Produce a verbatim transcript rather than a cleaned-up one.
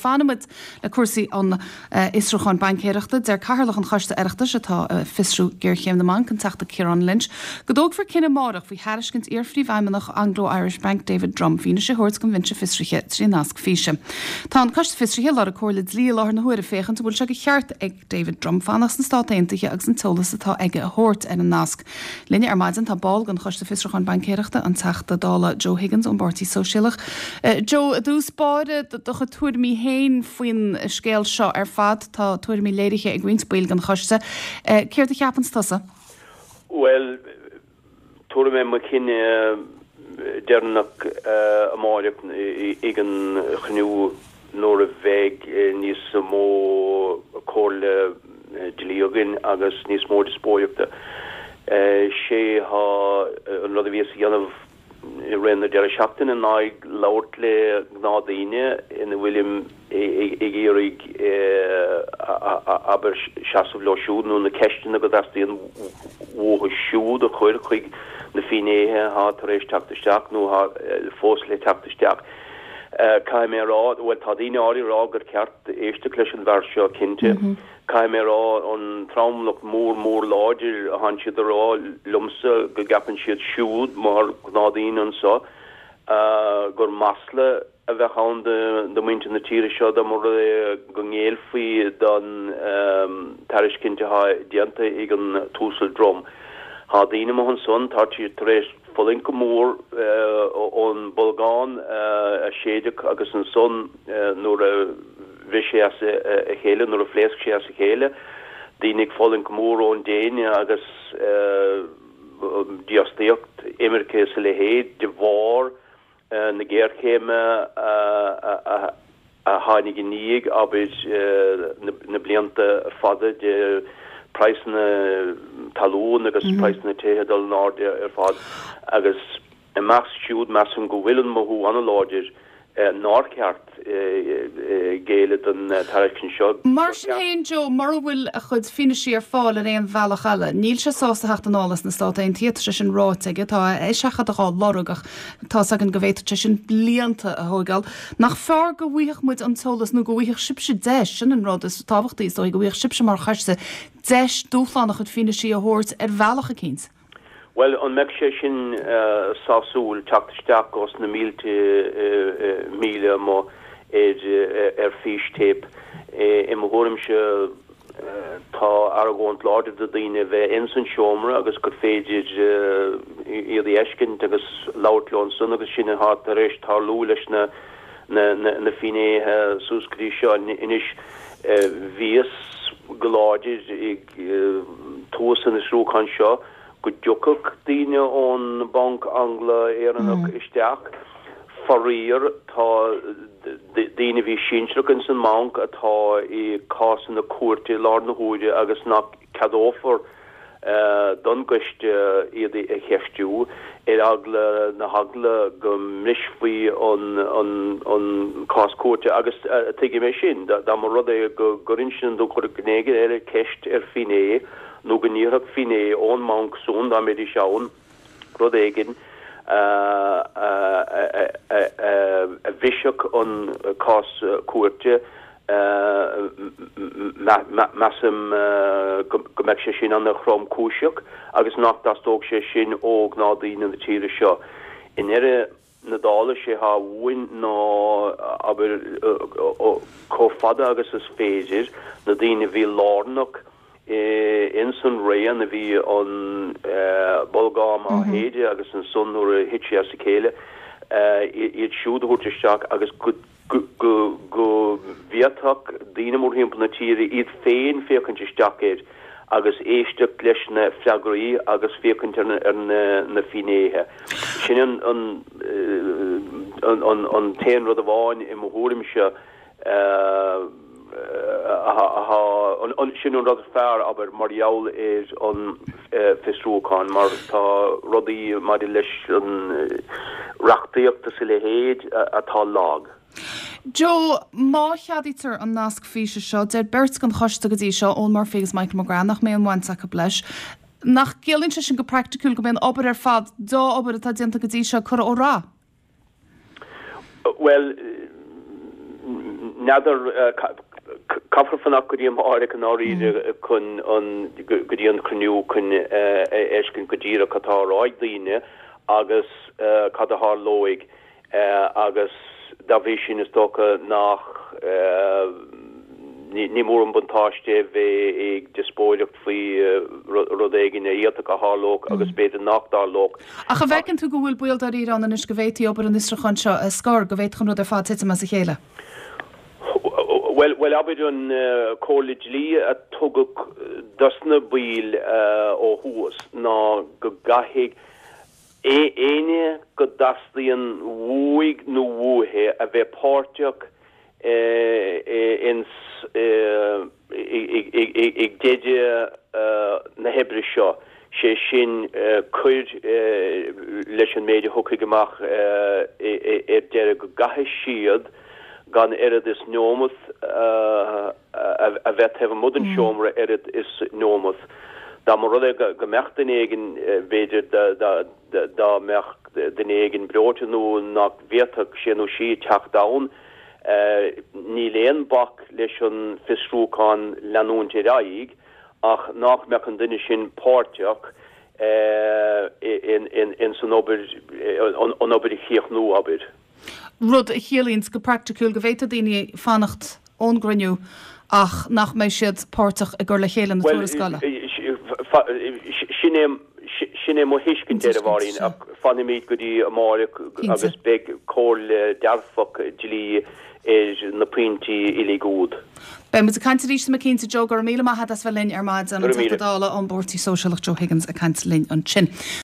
Fanfaidh muid le cúrsaí an fhiosrúcháin baincéireachta. Deir Cathaoirleach an Choiste Oireachtais atá ag fiosrú géarchéim na mbanc, an Teachta Ciarán Lynch, go dtógfar cinneadh amárach faoi thairiscint iar-phríomhfheidhmeannach Anglo-Irish Bank David Drumm fianaise a thabhairt don bhinse fiosraithe trí nasc físe. Tá an Coiste Fiosraithe ag lorg comhairle dlí i láthair na huaire féachaint an bhfuil sé de cheart ag David Drumm fanacht sna Stáit Aontaithe agus an t-eolas atá aige a thabhairt ar an nasc. Linne ar maidin tá ball den Choiste Fiosrúcháin Baincéireachta, an Teachta Dála Joe Higgins ón bPáirtí Sóisialach. Uh, Joe, i dtús báire, do chuid tuairimí féin faoin scéal seo ar fad, tá tuairimí léirithe ag roinnt baill den choiste. Uh, Céard a cheapann tusa? Well, tabharfaidh mé mo chinneadh deireanach amárach ag an chruinniú nuair a bheidh níos mó comhairle dlí againn agus níos mó díospóireachta. Sé há an rud a bhíos a dhéanamh i rith na deireadh seachtaine ná ag labhairt le gnáthdhaoine ina bhfuilim ag iarraidh abair seasamh leo siúd nó na ceisteanna go dteastaíonn uathu siúd a chur chuig na finnéithe atá tar éis teacht isteach nó fós le teacht isteach. Caithfidh mé a rá, bhuel tá daoine áirithe ag rá gur ceart éisteacht leis an bhfear seo cinnte. Mm -hmm. Caithfidh mé a rá an tromlach mór mór láidir a thánn siad a rá liomsa go gceapann siad siúd mar gnáthdhaoine anseo gur masla a bheadh ann do mhuintir na tíre seo dá mba rud é go ngéillfí don tairiscint atá déanta ag an tUasal Drumm. Tá daoine amuigh ansan tá siad tar éis fulaingt go mór ón bolgán a séideadh agus ansan nuair a bhris sé as a chéile nuair a phléasc sé as a chéile, daoine ag fulaingt go mór ón déine agus dífhostaíocht, imirce is a leithéid de bharr na géarchéime a tháinig i ndiaidh abair na blianta fada de praghsanna talún agus praghsanna tithe dul in airde ar fad agus i measc siúd measaim go bhfuil an mothú an-láidir nár cheart géilleadh don tairiscint seo. Mar sin féin, Joe, mura bhfuil a chuid fianaise ar fáil ar aon bhealach eile, níl sé sásta theacht anall as na Stáit Aontaithe, tá sé sin ráite aige, tá a eiseachadadh á lorg ach tá's againn go bhféadfadh sé sin blianta a thógáil. Nach fearr go bhfaigheadh muid an t-eolas nó go bhfaigheadh sibhse deis, sin an rud is tábhachtaí is dóigh, go bhfaigheadh sibhse mar choiste deis dúshlán a chuid fianaise a thabhairt ar bhealach eicínt? Bhuel, an mbeadh sé sin sásúil teacht isteach os na mílte míle amuigh ar ar fístéip? I mo thuairimse tá argóint láidir do daoine bheith ins an seomra agus gur féidir iad a fheiscint agus labhairt leo ansan agus sin atá tar éis tarlú leis na na finnéithe suas go dtí seo. Anois bhíos go láidir ag tús an fhiosrúcháin seo go dtiocfadh daoine ón Banc Angla-Éireannach isteach. Faraor, tá daoine a bhí sinsearach ins an mbanc atá i cásanna cúirte i láthair na huaire agus nach ceadófar don gcoiste iad a cheistiú ar eagla na heagla go mbrisfí an cás cúirte agus tuigim é sin, dá mba rud é go gcuirfinn nó go gcuirfeadh duine éigin eile ceist ar finné nó go n-iarrfadh finné ón mbanc san, dá mbeidís ann, rud éigin a bhrisfeadh an cás cúirte, measaim go mbeadh sé sin an-thromchúiseach agus nach dteastódh sé sin ó ghnáthdhaoine na tíre seo. I ndeireadh na dála, sé atá uainn ná, abair, chomh fada agus is féidir, na daoine a bhí lárnach ins an raon a bhí an bolgán á shéideadh agus ansan nuair a thit sé as a chéile, iad siúd a thabhairt isteach agus go go bhféadfadh daoine mórthimpeall na tíre iad féin féachaint isteach air agus éisteacht leis na freagraí agus féachaint ar na finnéithe. Sin an t-aon rud amháin i mo thuairimse sin an rud is fearr, abair, mar gheall ar an bhfiosrúchán, mar tá rudaí maidir leis an reachtaíocht is a leithéid atá lag. Joe, má cheadaítear an nasc físe seo, deir beirt den choiste go dtí seo, Eoghan Murphy agus Michael McGrath, nach mbeidh aon bhaint acu leis. Nach gciallaíonn sé sin go praiticiúil go mbeidh an obair ar fad, deá-obair atá déanta go dtí seo, curtha ó rath? Bhuel, N'fheadar, caithfear fanacht go dtí amárach i ndáiríre chun an, go dtí an cruinniú chun a fheiscint go díreach cad tá á rá ag daoine agus cad a tharlóidh agus dá bhrí sin is dócha nach, ní mór an buntáiste é bheith ag diospóireacht faoi rud éigin a d'fhéadfadh a tharlódh agus b'fhéidir nach dtarlódh. Ach an bhfeiceann tú go bhfuil baol dáiríre ann anois go bhféadfaí obair an fhiosrúcháin seo a scor, go bhféadfadh an rud ar fad titim as a chéile? Bhuel, bhuel abair an comhairle dlí a tugadh dos na baill ó thuas ná go gcaithfidh éinne go dteastaíonn uaidh nó uaithi a bheith páirteach ins ag deireadh na hoibre seo, sé sin cuir leis an méid a thiocfaidh amach ar deireadh go gcaithfidh siad gan oiread is neomat a bheith taobh amuigh den seomra oiread is neomat. Dá mba rud é go mbeadh duine éigin, b'fhéidir dá mbeadh duine éigin breoite nó nach bhféadfadh sé nó sí teacht ann, níl aon bac leis an bhfiosrúchán leanúint ar aghaidh ach nach mbeadh an duine sin páirteach ins an obair, an obair a chríochnú, abair. Rud a chiallaíonns go praiticiúil go bhféadfadh daoine fanacht ón gcruinniú ach nach mbeidh siad páirteach i gcur le chéile na tuarascála. Sin é Sin é mo thuiscint air, a Mháirín, ach fanfaimid go dtí amárach agus beidh comhairle dearfach dlí ar na pointí uilig úd. Beidh muid ag caint arís, tá mé cinnte. Joe, go raibh míle maith agat as bheith linn ar maidin. An Teachta Dála ón bPáirtí Sóisialach Joe Higgins ag caint linn ansin.